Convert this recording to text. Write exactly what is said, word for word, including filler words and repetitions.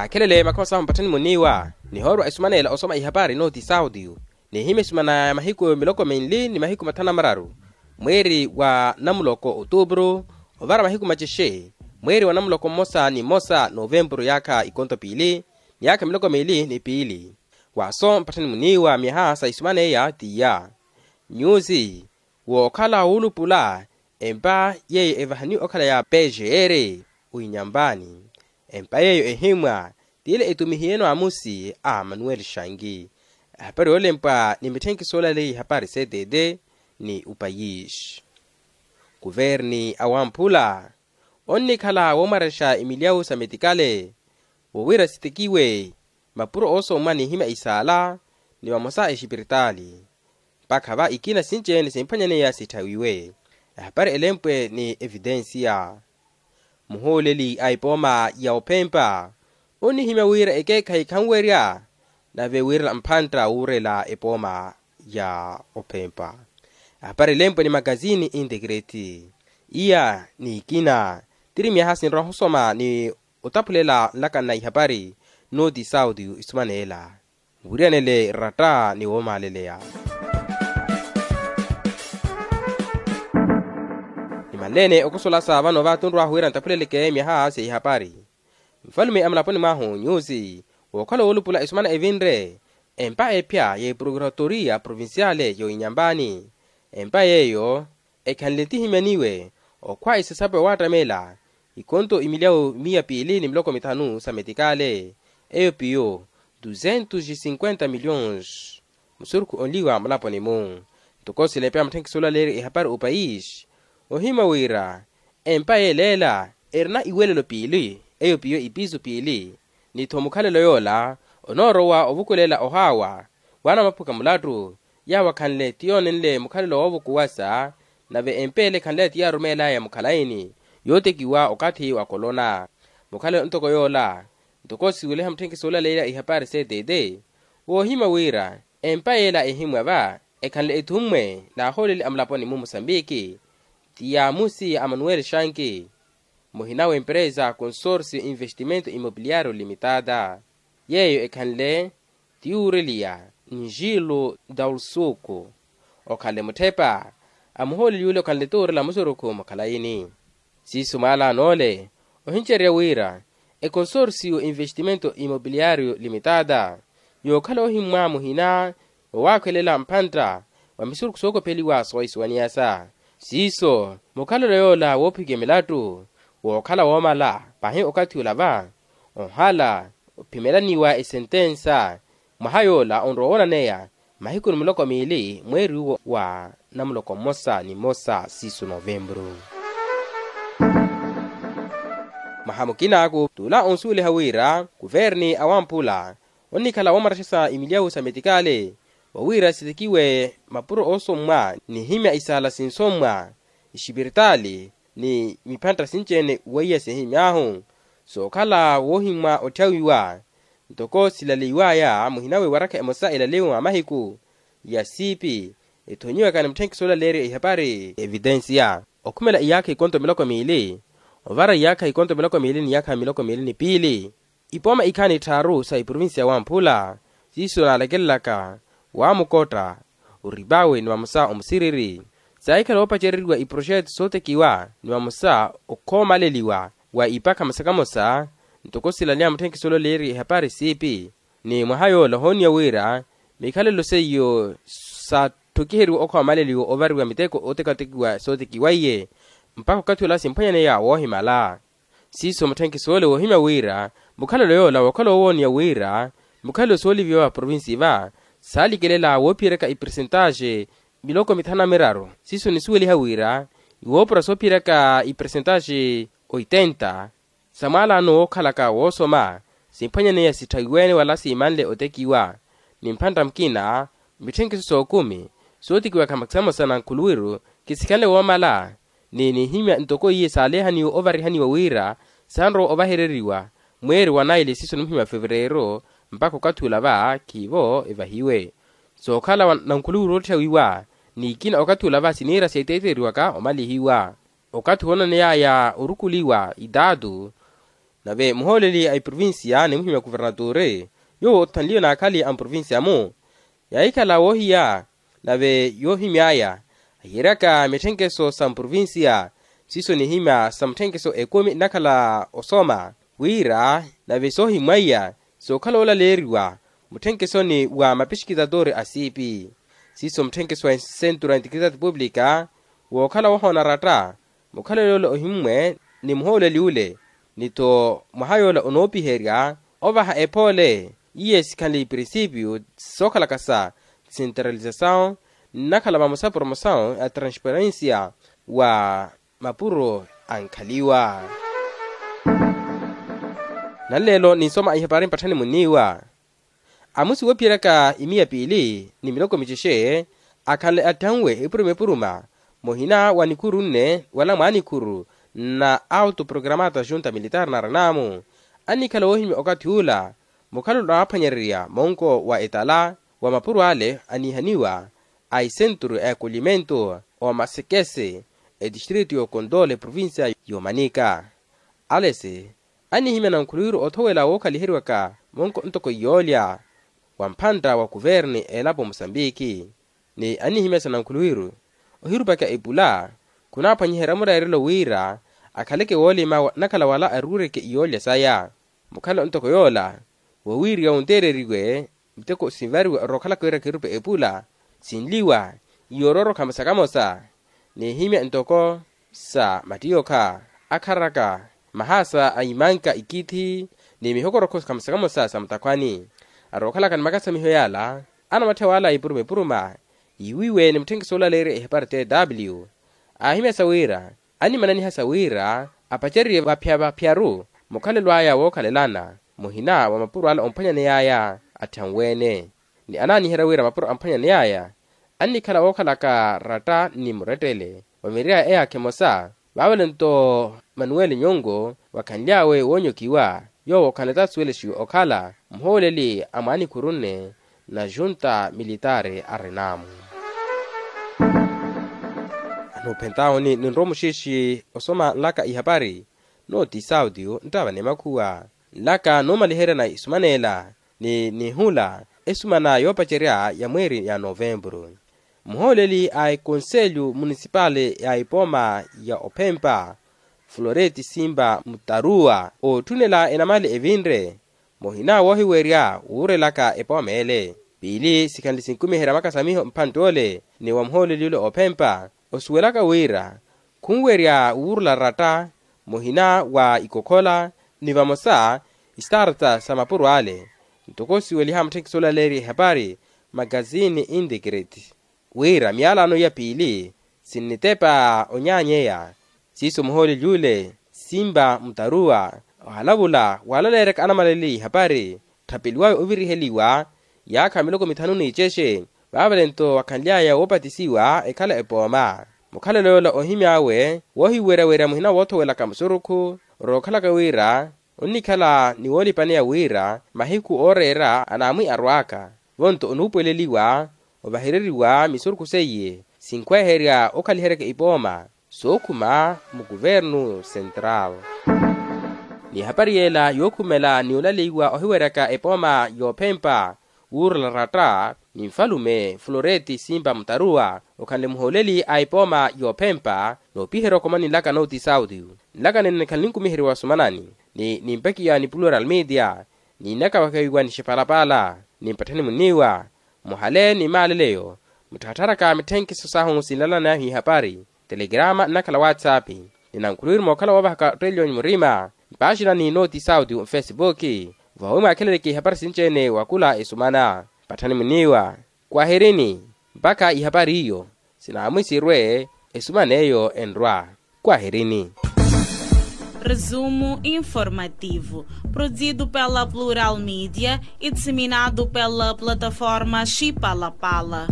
Akhelele makhoma sahu mpatthani muniiwa nihoorwa esumaneela osoma ihapari nooti saudio, nihimya esumana ya mahiku miloko minli ni mahiku mathanu na mararu, mweeri wa namuloko otuupuru ovara mahiku macexe, mweeri wa namuloko mmosa ni mmosa novempuru yaakha ikonto piili ni yaakha miloko miili ni piili. Waaso mpatthani muniiwa myaha sa isumaneiya tiya nyuusi wookhala wuulupula empa yeeyo evahaniwe okhala ya pgr oinyampani. Empa yeeyo ehimmwa tiile etumihiye-no amusi a manuel shangi. Ehapari yoolempwa ni mitthenkiso olaleya ihapari ctt ni upayisi. Kuverni awamphula onnikhala woomwarexa imilyawu sa metikale woowira sitekiwe mapuro oosommwa n'ihimya isaala ni vamosa exipiritaali. Mpakha va ikina sinci-ene simphwanyaneya sitthawiwe. Ehapari elempwe ni evitensiya muhuuleli a epooma ya ophempa onihimya wira ekeekhayi khanwerya nave wirela mphantta wuurela epooma ya ophempa. Ehapari elempwe ni makazini integreti iya ni ikina tiri myaha sinrowa husoma ni otaphulela nlaka nna ihapari nooti sauti isumaneela. Wiriyanele ratta ni woomaaleleya. Nimanleene okosolasa vano vatunrwahu wira ntaphuleleke myaha sa ihapari. Nfalume a mulaponi mwahu nyusi wookhala woolupula esumana evinre empa ephya ya eprokuratoriya provinciale y'oinyampani. Empa yeeyo ekhanle tihimyaniwe okhwa esasapo ya waattamela ikonto imilyawu miya piili ni miloko mithanu sa metikale eyo piyo duzentos e cinquenta milhões. Musurukhu onliwa mulaponi-mu ntoko silepeya mutthenkiso olaleerya ehapari opayisi ohimya wira empa yeeleela erina iwelelo piili eyo piyo ipisu piili. Ni-tho mukhalelo yoola onoorowa ovukulela ohaawa w'anamaphuka mulattu yaawo akhanle ti yoonenle mukhalelo woovukuwasa. Nave empeele ekhanle ti yaarumeelaya mukhalaini yootekiwa okathi wa kolona. Mukhalelo ntoko yoola ntoko siweliha mutthenkiso olaleerya ihapari ctt woohimya wira empa yeela ehimmwa va ekhanle ethummwe n'ahooleli a mulaponi-mu musambiki ti yaamusi a manuel shanki muhina w'emperesa consorcio investimento immobiliario limitada. Yeeyo ekhanle ti yuureliya njilo daulsuku okhanle mutthepa a muhooleli yule okhanle tuurela musurukhu mukhalayini. Siiso mwaalaano ole ohincererya wira econsorcio investimento immobiliario limitada yookhala ohimmwa muhina woowakhwelela mphantta wa misurukhu sookopheliwa soohisuwaniyasa. Siiso mukhalelo yoola woophikiwa milattu wookhala woomala pahi okathi ola va ohala ophimelaniwa esentensa mwaha yoola onrowa woonaneya mahiku ni miloko miili mweeri uwo wa namuloko mmosa ni mmosa siiso novempuru. Mwaha mukinaaku t'ula onsuweliha wira kuverni awamphula onnikhala woomarexesa imilyawu sa metikale wawira sitekiwe mapuro oosommwa nihimya isaala sinsommwa ixipiritaali ni miphantta sinci-ene weiya sihimy'ahu sookhala woohimmwa otthyawiwa ntoko silaleiwaya muhina w'ewarakha emosa elaleyiwe mwa mahiku ya siipi ethonyiwaka ni mutthenkiso olaleerya ihapari evitensiya okhumela iyaakha ikonto miloko miili ovara iyaakha ikonto miloko miili ni iyaakha miloko miili ni piili. Ipooma ikhaani tthaaru sa iprovinsiya wamphula siiso naalekelelaka waamukotta oripawe ni vamosa omusiriri saahikhala oopacereriwa iproxeto sootekiwa ni vamosa okhoomaleliwa wa ipakha mosa kamosa ntoko silaleya mutthenkiso olaleerya ihapari siipi. Ni mwaha yoola ohooniya wira mikhalelo seiyo saatthokiheryiwa okhoomaleliwa ovariwa miteko ootekatekiwa sootekiwa iye mpakha okathi ola simphwanyaneya woohimala. Siiso mutthenkiso ole woohimya wira mukhalelo yoola wookhala owooniya wira mukhalelo sooliviwa va provinsi va saalikelela woophiyeraka ipersentaxe miloko mithanu na miraru siiso nisuweliha wira iwoopura soophiyeraka ipersentaxe oitenta sa mwaalaano wookhalaka woosoma simphwanyaneya sitthawiwe-ene wala siimanle otekiwa ni mphantta mukina mitthenkiso sookumi sootekiwaka mwa kisamosa na nkhuluwiru kisikhanle woomala ni nihimya ntoko iye saalehaniwe ovarihaniwa wira sanrowa ovahereriwa mweeri wa naili siiso nimuhimya fevereiro mpakha okathi ola va khiivo evahiwe. Sookhala na nkhuluwiru ootthawiwa ni ikina okathi ola va siniira seeteeteriwaka omalihiwa okathi woonaneyaya orukuliwa itaatu Nave muhooleli a eprovincia ni muhimya kuvernaturi yoowo othanliwe n'akhali a mprovincia-mu yaahikhala woohiya. Nave yoohimy'aya ahiyeryaka mitthenkeso sa mprovincia siiso nihimya sa mutthenkeso ekumi nnakhala osoma wira nave soohimwaiya sookhala oolaleeriwa mutthenkeso ni wa mapixikitatori a siipi siiso mutthenkeso wa centro antiquitati publica wookhala wohoona ratta mukhalelo ole ohimmwe ni muhooleli ole ni-tho mwaha yoola onoopiherya ovaha epoole iye sikhanle iprinsipio sookhalaka sa desentralizasawu nnakhala vamosa promosawu ya transparensia wa mapuro ankhaliwa. Nanleelo ninsoma ihapari mpatthani munniiwa amusi woophiyeraka imiya piili ni miloko micexe akhanle atthanwe epuruma epuruma muhina wa nikhuru nne wala mwaanikhuru na auto programata junta militar na renamo annikhala woohimya okathi ula mukhalelo naaphwanyererya monko wa etala wa mapuro ale aniihaniwa a isenturu a ekollimento omasekese etistritu y'okondole provincia y'omanika alesi annihimya nankhuluwiru othowela wookhaliheriwaka monko ntoko iyoolya wa mphantta wa kuverne elapo musambiki ni annihimya sa nankhuluwiru ohirupaka epula khunaaphwanyiherya mureerelo wira akhaleke woolima nnakhala wala aruureke iyoolya saya mukhalelo ntoko yoola wowiiriwa wunteereriwe miteko sinvariwa orookhalaka wira khirupe epula sinliwa iyoororokha musakamosa n'ihimya ntoko sa mattiyokha akharaka mahaasa a imanka ikithi ni mihokorokho khamusakamosa sa mutakhwani arookhalaka ni makasamiho yaala anamatthe waala ipuruma ipuruma yiiwiwe ni mutthenkeso olaleerya ihapari tw aahimyasa wira annimananihasa wira apacererye vaphya vaphyaru mukhalelo aya wookhalelana muhina wa mapuro ala omphwanyaney'aya atthanwe-ene ni anaaniherya wira mapuro amphwanyaney'aya annikhala wookhalaka ratta ni murettele wa miry'aya eyaakha emosa vaavale-nto manuweli nyongo vakhanly'awe woonyokiwa yoowo khanatasuwelexiwa okhala muhooleli a mwaanikhuru nne na junta militari a renamo anoophentahuni ninrowa muxiixi osoma nlaka ihapari nooti saudio nttava ni makhuwa nlaka noomaliherya na isumaneela ni nihula esumana yoopacerya ya mweeri ya novemburu muhooleli a ekonselyu munisipali ya epooma ya ophempa floreti simba mutaruwa ootthunela enamali evinre muhina woohiwerya wuurelaka epooma ele piili sikhanle sinkumiherya makasamiho mphantte ole ni wa muhooleli ole oophempa osuwelaka wira khunwerya wuurula ratta muhina wa ikokhola ni vamosa istarta sa mapuro ale ntoko siweliha mutthekisi olaleerya ihapari magazini integrity wira miyalano iya piili sinnitepa onyaanyeya siiso muhooleli ule simba mutaruwa ohalavula walaleeryaka anamaleleli ihapari tthapeliwawe oviriheliwa yaakha miloko mithanu n'icexe vaavale-nto wakhanly'aya woopatisiwa ekhala epooma mukhalelo yoola ohimy'awe woohiweryawerya muhina woothowelaka musurukhu orookhalaka wira onnikhala ni woolipaneya wira mahiku ooreera anaamwi arwaaka vonto onuupuweleliwa ovahereriwa misurukhu seiye sinkhweherya okhaliheryaka ipooma sookhuma mukuvernu sentral n'ihapari yeela yookhumela ni olaleiwa ohiweryaka epooma yoophempa wuurula ratta ni nfalume floreti simpa mutaruwa okhanle muhooleli a epooma yoophempa noopiherya okomani nlaka nooti sauti nlaka nene nikhala ninkumiheriwa sumanani ni nimpekiwa ni plural media niinakavakawiwa ni xipalapala ni mpatthani munniiwa muhale ni maaleleyo mutthattharaka mitthenkiso sahu sinlalanahu ihapari telegrama nnakhala whatsapp ni nankhuluwiru mookhala woovahaka otteliyonyu murima mpaaxina ni nooti sauti mfesipuki vawi mwaakheleleke ihapari sinci-ene wakula esumana mpatthani munniiwa kwahirini mpakha ihapari iyo sinaamwisirwe esuman'eyo enrwa kwahirini. Resumo informativo, produzido pela Plural Media e disseminado pela plataforma Chipalapala.